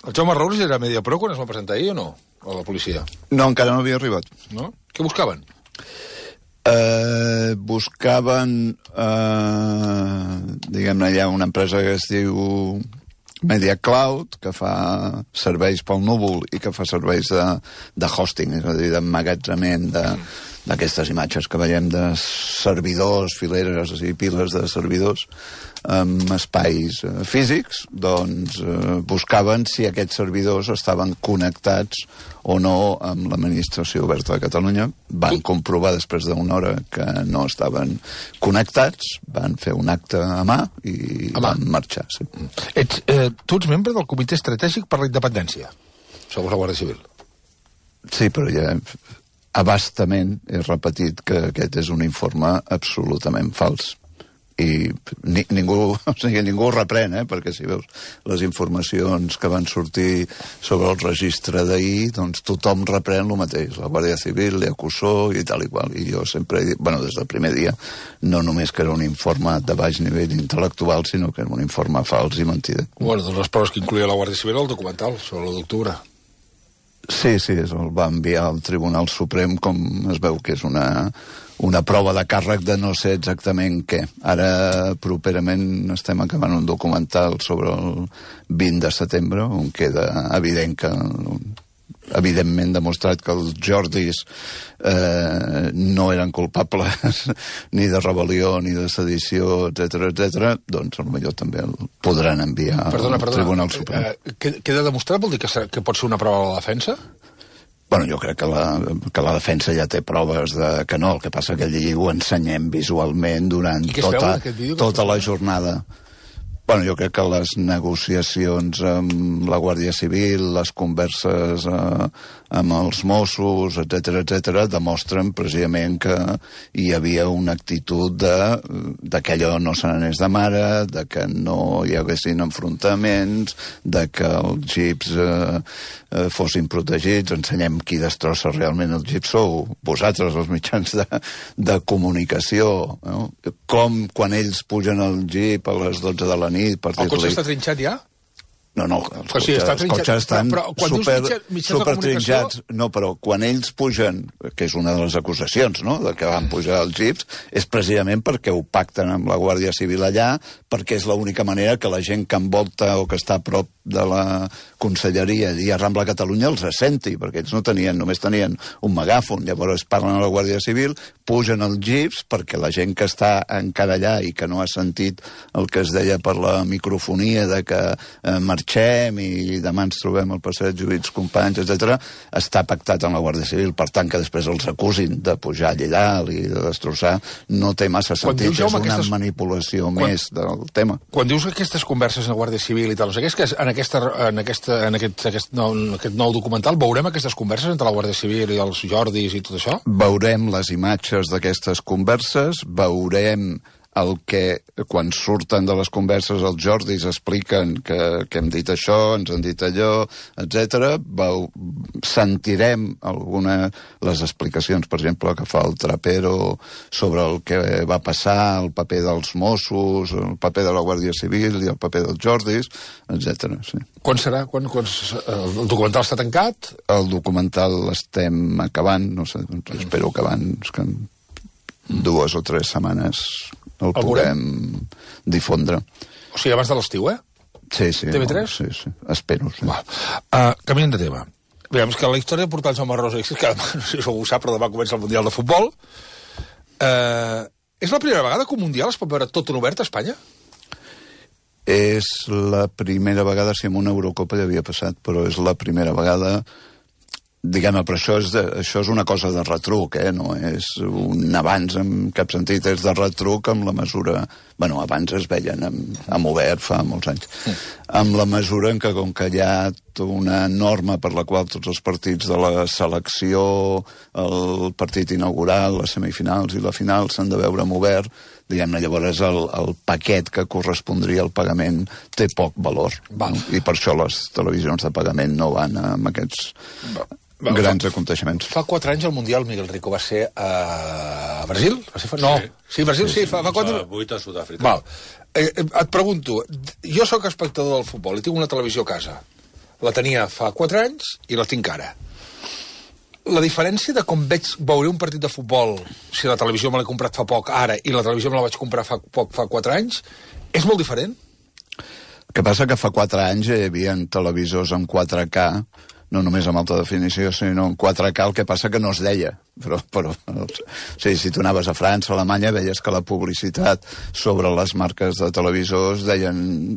El Jaume Roures era Mediapro quan es va presentar ahir o no? A la policia? No, encara no havia arribat. No? Què buscaven? Buscaven, diguem-ne, hi ha una empresa que es diu Media Cloud, que fa serveis pel núvol i que fa serveis de hosting, és a dir, d'emmagatzament d'aquestes imatges que veiem de servidors, fileres i piles de servidors amb espais físics, doncs buscaven si aquests servidors estaven connectats o no amb l'administració oberta de Catalunya. Van comprovar després d'una hora que no estaven connectats, van fer un acte a mà i van marxar. Sí. Tu ets membre del Comitè Estratègic per la Independència, segons la Guàrdia Civil. Sí, però ja abastament he repetit que aquest és un informe absolutament fals. I ningú ho reprèn, perquè si veus les informacions que van sortir sobre el registre d'ahir, doncs tothom reprèn el mateix. La Guàrdia Civil, l'Ecusó i tal i qual. I jo sempre he dit, des del primer dia, no només que era un informe de baix nivell intel·lectual, sinó que era un informe fals i mentida. Bueno, doncs les proves que incloïa la Guàrdia Civil el documental sobre l'1 d'octubre. Sí, el va enviar al Tribunal Suprem, com es veu que és una prova de càrrec de no sé exactament què. Ara, properament, estem acabant un documental sobre el 20 de setembre, on queda evident que evidentment demostrat que els Jordis no eren culpables ni de rebel·lió, ni de sedició, etc., doncs potser també el podran enviar al Tribunal Suprem. Queda demostrat? Vol dir que pot ser una prova de la defensa? Bueno, jo crec que la defensa ja té proves que no, el que passa que allí ho ensenyem visualment durant tota la jornada. Bueno, jo crec que les negociacions amb la Guàrdia Civil, les converses amb els Mossos, etc., demostren precisament que hi havia una actitud de que allò no se n'anés de mare, de que no hi haguessin enfrontaments, de que els jeeps fossin protegits. Ensenyem qui destrossa realment els jeeps sou vosaltres, els mitjans de comunicació, no? Com quan ells pugen al jeep a les 12 de la nit per dir-li... El cotxe està trinxat ja? No, els cotxes estan super trinxats. No, però quan ells pugen, que és una de les acusacions, no?, de que van pujar els jeeps, és precisament perquè ho pacten amb la Guàrdia Civil allà, perquè és l'única manera que la gent que envolta o que està a prop de la Conselleria i a Rambla Catalunya els senti, perquè ells només tenien un megàfon. Llavors parlen a la Guàrdia Civil, pugen els jeeps perquè la gent que està encara allà i que no ha sentit el que es deia per la microfonia de que marxem i demà ens trobem al passeig Lluís Companys, etc., està pactat amb la Guàrdia Civil. Per tant, que després els acusin de pujar allà dalt i de destrossar no té massa sentit. És una manipulació més del tema. Quan dius aquestes converses amb la Guàrdia Civil i tal, no sé què, és que en aquest nou documental veurem aquestes converses entre la Guàrdia Civil i els Jordis i tot això? Veurem les imatges d'aquestes converses, veurem el que, quan surten de les converses els Jordis expliquen que hem dit això, ens han dit allò, etc. Sentirem les explicacions, per exemple, que fa el Trapero sobre el que va passar, el paper dels Mossos, el paper de la Guàrdia Civil i el paper dels Jordis, etc. Sí. Quan serà? El documental està tancat? El documental l'estem acabant, no sé, doncs espero que abans que en 2 o 3 setmanes el podem difondre. O sigui, abans de l'estiu, Sí. TV3? Sí, espero, sí. Canviant de tema. Veiem que la història de portar el Jaume Roures, que no sé si ho sap, però demà comença el Mundial de Futbol. És la primera vegada que un Mundial es pot veure tot en obert a Espanya? És la primera vegada, si en una Eurocopa ja havia passat, però és la primera vegada... Diguem-ne, però això és una cosa de retruc, no és un avanç en cap sentit, és de retruc amb la mesura... Bueno, abans es veien amb obert fa molts anys. Amb la mesura en què, com que hi ha una norma per la qual tots els partits de la selecció, el partit inaugural, les semifinals i la final s'han de veure amb obert, diguem-ne, llavors el paquet que correspondria al pagament té poc valor. I per això les televisions de pagament no van amb aquests... grans aconteixements. Fa 4 anys el Mundial, Miguel Rico, va ser a Brasil? No. Sí, Brasil, sí. Fa 4 anys. 8 a Sud-àfrica. Et pregunto, jo sóc espectador del futbol i tinc una televisió a casa. La tenia fa 4 anys i la tinc ara. La diferència de com veuré un partit de futbol, si la televisió me l'he comprat fa poc ara i la televisió me la vaig comprar fa 4 anys, és molt diferent. El que passa que fa 4 anys hi havia televisors en 4K, no només amb alta definició, sinó en 4K, el que passa que no es deia. Però sí, si tu anaves a França, a Alemanya, veies que la publicitat sobre les marques de televisors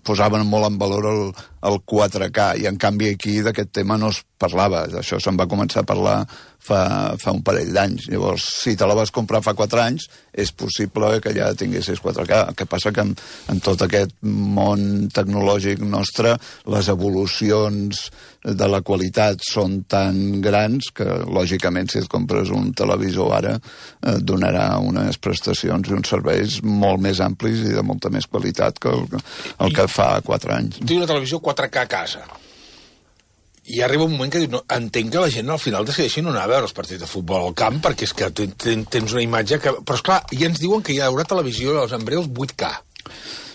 posaven molt en valor el 4K, i en canvi aquí d'aquest tema no es parlava. D'això se'n va començar a parlar fa un parell d'anys. Llavors, si te la vas comprar fa 4 anys, és possible que ja tinguessis 4K. El que passa que en tot aquest món tecnològic nostre, les evolucions de la qualitat són tan grans que, lògicament, si et compres un televisor ara, donarà unes prestacions i uns serveis molt més amplis i de molta més qualitat que el que fa 4 anys. Tinc una televisió 4K a casa. I arriba un moment que dius, no, entenc que la gent al final decideixi no anar a veure els partits de futbol al camp, perquè és que tens una imatge que... Però esclar, ja ens diuen que hi haurà televisió en breus 8K.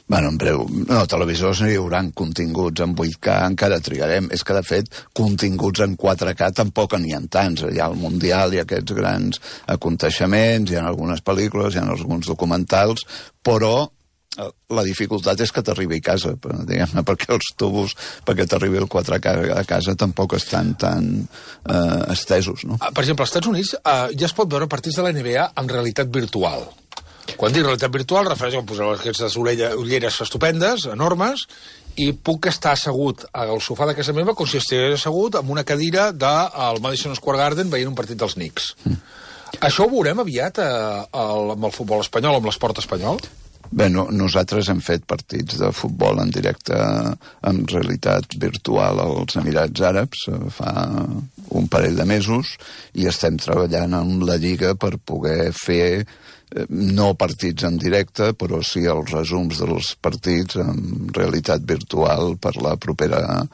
Bueno, en breu, no, televisors no hi haurà continguts en 8K, encara trigarem. És que, de fet, continguts en 4K tampoc n'hi ha tants. Hi ha el Mundial, hi ha aquests grans aconteixements, hi ha algunes pel·lícules, hi ha alguns documentals, però la dificultat és que t'arribi a casa, diguem-ne, perquè els tubos, perquè t'arribi el 4K a casa tampoc estan tan estesos, no? Per exemple, als Estats Units ja es pot veure partits de la NBA en realitat virtual. Quan dic realitat virtual, refereix a posar aquestes ulleres estupendes, enormes, i puc estar assegut al sofà de casa meva com si estigués assegut en una cadira del Madison Square Garden veient un partit dels Knicks. Això ho veurem aviat amb el futbol espanyol, amb l'esport espanyol? Bé, nosaltres hem fet partits de futbol en directe en realitat virtual als Emirats Àrabs fa un parell de mesos i estem treballant amb la Lliga per poder fer no partits en directe, però sí els resums dels partits en realitat virtual per la propera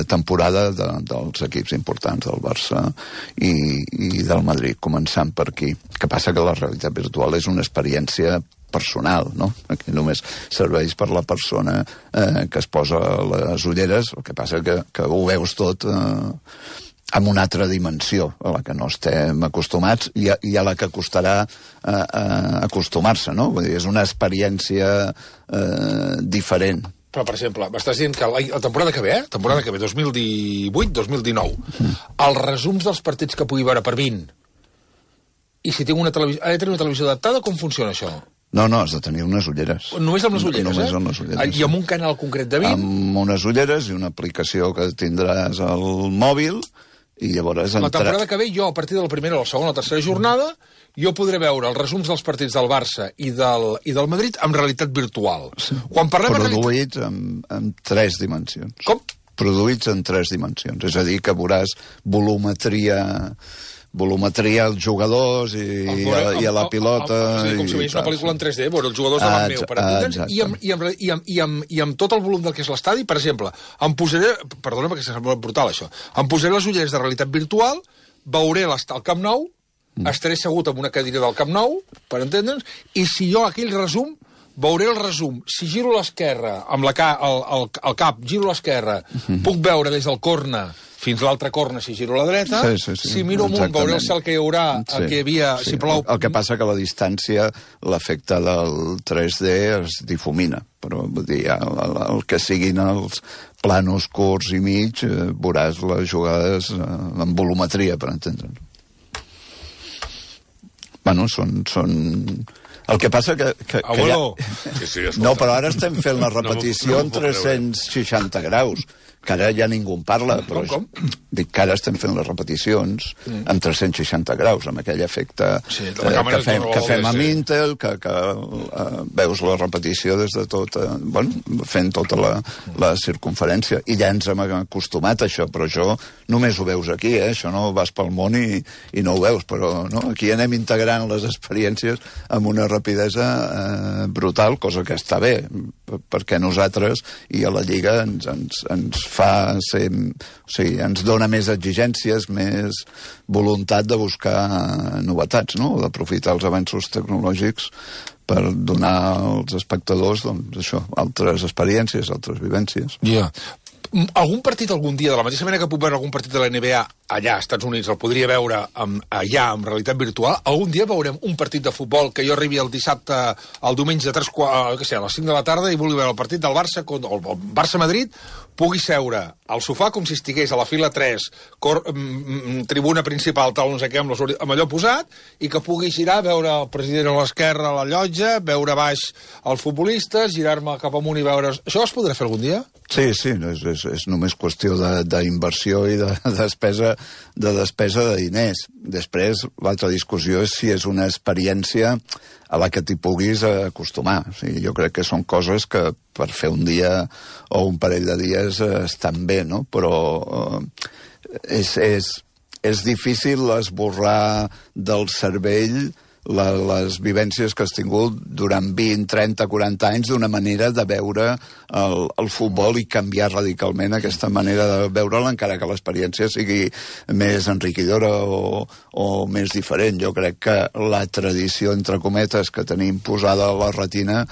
temporada dels equips importants del Barça i del Madrid, començant per aquí. El que passa que la realitat virtual és una experiència personal, no? Aquí només serveix per la persona que es posa les ulleres, el que passa que ho veus tot amb una altra dimensió a la que no estem acostumats i a la que costarà acostumar-se, no? Vull dir, és una experiència diferent. Però, per exemple, m'estàs dient que la temporada que ve, 2018-2019, els resums dels partits que pugui veure per 20, i si tinc una televisió, ha de tenir una televisió adaptada, com funciona això? No, has de tenir unes ulleres. Només amb les ulleres, Només amb les ulleres. I amb un canal concret de 20? Amb unes ulleres i una aplicació que tindràs al mòbil, i llavors... La temporada que ve, jo, a partir de la primera, la segona o la tercera jornada, jo podré veure els resums dels partits del Barça i del Madrid amb realitat virtual. Sí. Quan parlem produïts en 3 dimensions. Com? Produïts en 3 dimensions. És a dir, que veuràs volumetria als jugadors i a la pilota... Com si veiés una pel·lícula en 3D, veure els jugadors davant meu, per entendre'ns, i amb tot el volum del que és l'estadi, per exemple, em posaré... Perdona, perquè sembla brutal, això. Em posaré les ulleres de realitat virtual, veuré el Camp Nou, estaré assegut en una cadira del Camp Nou, per entendre'ns, i si jo aquell resum, veuré el resum. Si giro a l'esquerra, amb el cap, giro a l'esquerra, puc veure des del corna fins a l'altra corna, si giro a la dreta. Sí. Si miro amunt, veuré el cel que hi haurà, el que hi havia... Sí. Si plou... El que passa que a la distància l'efecte del 3D es difumina, però vull dir, el que siguin els planos curts i mig, veuràs les jugades en volumetria, per entendre'ns. Bueno, són... El que passa que Abuelo! No, però ara estem fent la repetició en 360 graus, que ara ja ningú en parla, però Com? Dic que ara estem fent les repeticions en 360 graus, amb aquell efecte que fem amb Intel, que veus la repetició des de tot, fent tota la circunferència, i ja ens hem acostumat a això, però això només ho veus aquí, això no vas pel món i no ho veus, però no? Aquí anem integrant les experiències amb una rapidesa brutal, cosa que està bé, perquè nosaltres i a la Lliga ens fa ser... O sigui, ens dona més exigències, més voluntat de buscar novetats, no? D'aprofitar els avenços tecnològics per donar als espectadors, doncs, això, altres experiències, altres vivències. Ja. Algun partit algun dia, de la mateixa manera que puc veure algun partit de la NBA allà als Estats Units, el podria veure allà, en realitat virtual, algun dia veurem un partit de futbol que jo arribi el dissabte, el diumenge a les 5 de la tarda i vulgui veure el partit del Barça, el Barça-Madrid, pugui seure al sofà com si estigués a la fila 3, tribuna principal, tal, no sé què, amb allò posat, i que pugui girar, veure el president a l'esquerra a la llotja, veure baix els futbolistes, girar-me cap amunt i veure... Això es podrà fer algun dia? Sí, és només qüestió d'inversió i de despesa de diners. Després, l'altra discussió és si és una experiència a la que t'hi puguis acostumar. O sigui, jo crec que són coses que per fer un dia o un parell de dies estan bé, no? Però és difícil esborrar del cervell les vivències que has tingut durant 20, 30, 40 anys d'una manera de veure el futbol i canviar radicalment aquesta manera de veure'l, encara que l'experiència sigui més enriquidora o més diferent. Jo crec que la tradició, entre cometes, que tenim posada a la retina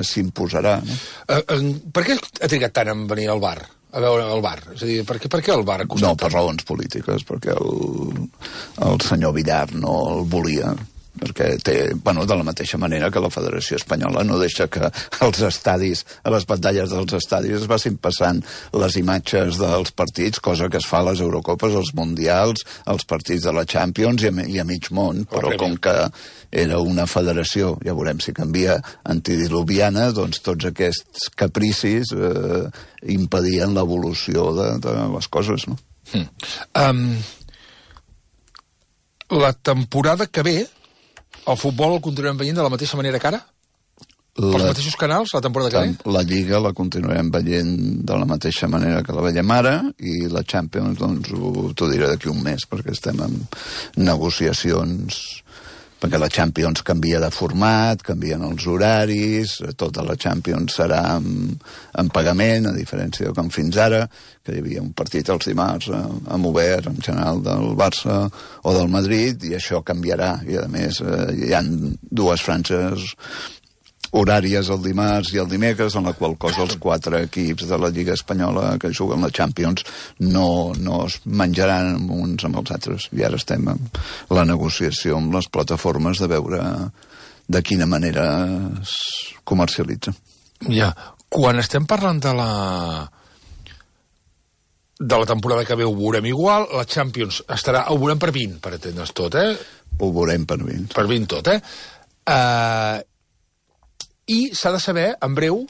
s'imposarà. No? Per què ha trigat tant en venir al bar? A veure el bar? És a dir, per què el bar ha costat tant? No, per raons polítiques, perquè el senyor Villar no el volia, perquè de la mateixa manera que la Federació Espanyola no deixa que als estadis, a les pantalles dels estadis es vagin passant les imatges dels partits, cosa que es fa a les Eurocopes, als Mundials, als partits de la Champions i a mig món, però com que era una federació, ja veurem si canvia, antidiluviana, doncs tots aquests capricis impedien l'evolució de les coses, no? La temporada que ve el futbol el continuem veient de la mateixa manera que ara? Pels mateixos canals, la temporada que ve? La Lliga la continuem veient de la mateixa manera que la veiem ara i la Champions, doncs, t'ho diré d'aquí un mes, perquè estem en negociacions, perquè la Champions canvia de format, canvien els horaris, tota la Champions serà en pagament, a diferència de com fins ara, que hi havia un partit els dimarts amb obert, en general, del Barça o del Madrid, i això canviarà. I, a més, hi ha dues franges horàries el dimarts i el dimecres, en la qual cosa els 4 equips de la Lliga Espanyola que juguen la Champions no es menjaran uns amb els altres. I ara estem en la negociació amb les plataformes de veure de quina manera es comercialitza. Ja, quan estem parlant de la temporada que ve ho veurem igual, la Champions estarà, ho veurem per 20, per entendre's tot, Ho veurem per 20. Per 20 tot, I s'ha de saber, en breu,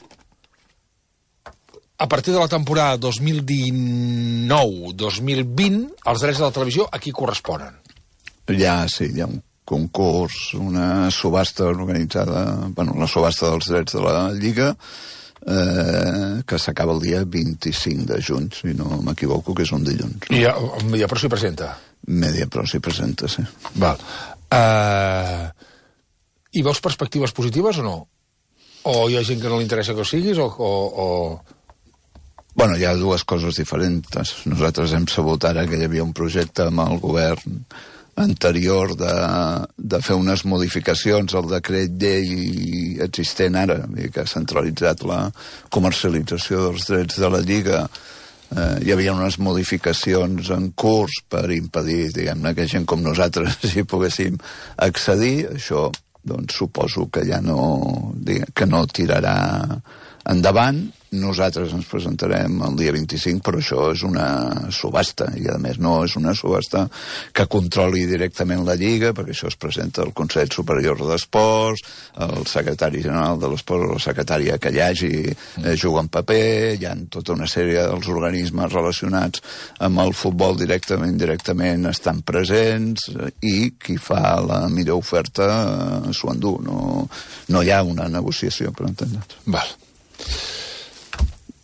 a partir de la temporada 2019-2020, els drets de la televisió a qui corresponen? Sí, hi ha un concurs, una subhasta organitzada, la subhasta dels drets de la Lliga, que s'acaba el dia 25 de juny, si no m'equivoco, que és un dilluns. I Mediapro s'hi presenta? Mediapro s'hi presenta, sí. Val. I veus perspectives positives o no? O hi ha gent que no li interessa que ho siguis, Bueno, hi ha dues coses diferents. Nosaltres hem sabut ara que hi havia un projecte amb el govern anterior de fer unes modificacions al decret llei existent ara, que ha centralitzat la comercialització dels drets de la Lliga. Hi havia unes modificacions en curs per impedir, diguem-ne, que gent com nosaltres hi poguéssim accedir. Això, doncs, suposo que ja no tirarà endavant. Nosaltres ens presentarem el dia 25, però això és una subhasta, i a més no és una subhasta que controli directament la Lliga, perquè això es presenta al Consell Superior d'Esports, el secretari general de l'Esport o la secretària que hi hagi juga en paper, hi ha tota una sèrie dels organismes relacionats amb el futbol directament estan presents, i qui fa la millor oferta s'ho endú. No hi ha una negociació, per entendre's. Val.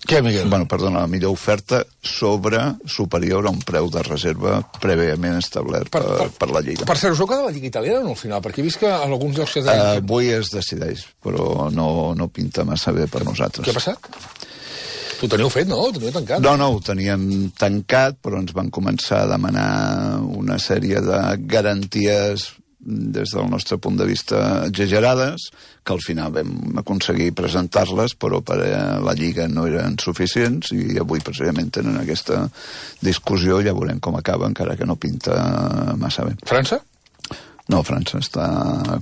Què, Miguel? Bueno, perdona, la millor oferta superior a un preu de reserva prèviament establert per la Lliga. Per cert, us heu quedat a la Lliga italiana no, al final? Perquè he vist que en alguns llocs... Avui es decideix, però no pinta massa bé per nosaltres. Què ha passat? Ho teníeu fet, no? Ho teníeu tancat? No, ho teníem tancat, però ens van començar a demanar una sèrie de garanties des del nostre punt de vista, exagerades, que al final vam aconseguir presentar-les, però per a la Lliga no eren suficients, i avui precisament tenen aquesta discussió, ja veurem com acaba, encara que no pinta massa bé. França? No, França està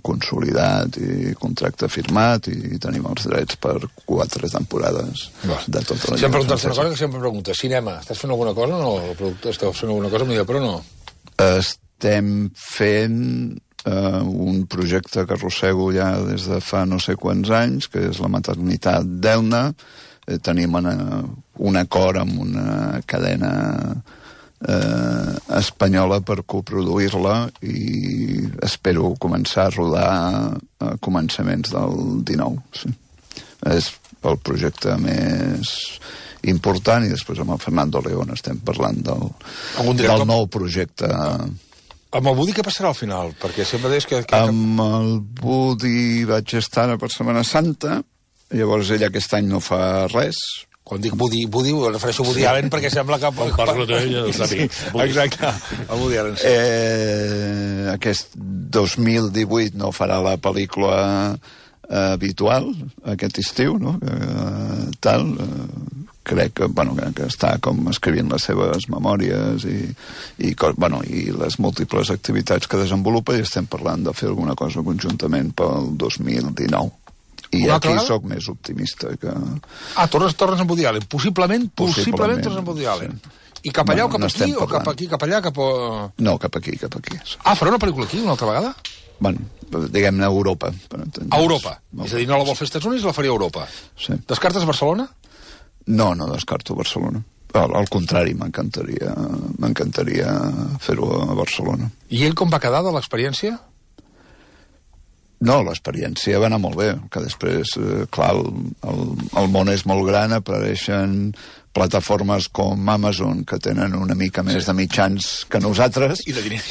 consolidat i contracte firmat i tenim els drets per 4 temporades de tota la Lliga. Si em preguntes una cosa, que sempre em preguntes, cinema, estàs fent alguna cosa o no? El productor esteu fent alguna cosa, però no? Estem fent un projecte que arrossego ja des de fa no sé quants anys, que és la maternitat d'Elna. Tenim un acord amb una cadena espanyola per coproduir-la i espero començar a rodar a començaments del 19. Sí. És el projecte més important, i després amb el Fernando León estem parlant del nou projecte. Amb el Budi què passarà al final? Perquè sempre deies que... Amb el Budi vaig estar per Setmana Santa, llavors ell aquest any no fa res. Quan dic Budi, ho refereixo a Woody Allen perquè sembla que... Quan parlo d'ell, ja ho sabia. Exacte, el Woody Allen. Aquest 2018 no farà la pel·lícula habitual, aquest estiu, no? Crec que està com escrivint les seves memòries i les múltiples activitats que desenvolupa, i estem parlant de fer alguna cosa conjuntament pel 2019. I aquí sóc més optimista que... Tornes amb Woody Allen. Possiblement tornes amb Woody Allen. I cap allà o cap aquí? O cap aquí, cap allà? No, cap aquí. Farà una pel·lícula aquí una altra vegada? Bueno, diguem-ne a Europa. A Europa? És a dir, no la vol fer als Estats Units, la faria a Europa. Sí. Descartes Barcelona? No descarto Barcelona. Al contrari, m'encantaria fer-ho a Barcelona. I ell com va quedar de l'experiència? No, l'experiència va anar molt bé, que després, clar, el món és molt gran, apareixen plataformes com Amazon, que tenen una mica més de mitjans que nosaltres. I de diners.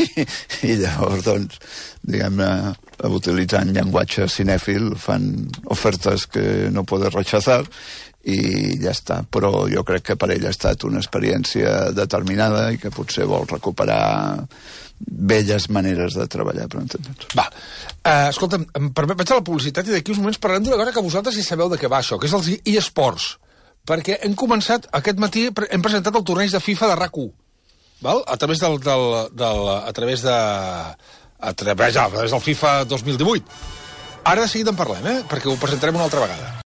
I llavors, doncs, diguem-ne, utilitzant llenguatge cinèfil, fan ofertes que no podes rechazar, i ja està. Però jo crec que per ell ha estat una experiència determinada i que potser vol recuperar velles maneres de treballar, per entendre'ns. Va, escolta'm, vaig a la publicitat i d'aquí uns moments parlarem d'una cosa que vosaltres ja sabeu de què va això, que és els eSports, perquè hem començat, aquest matí hem presentat el torneig de FIFA de RAC1, val? A través del FIFA 2018. Ara de seguida en parlem, perquè ho presentarem una altra vegada.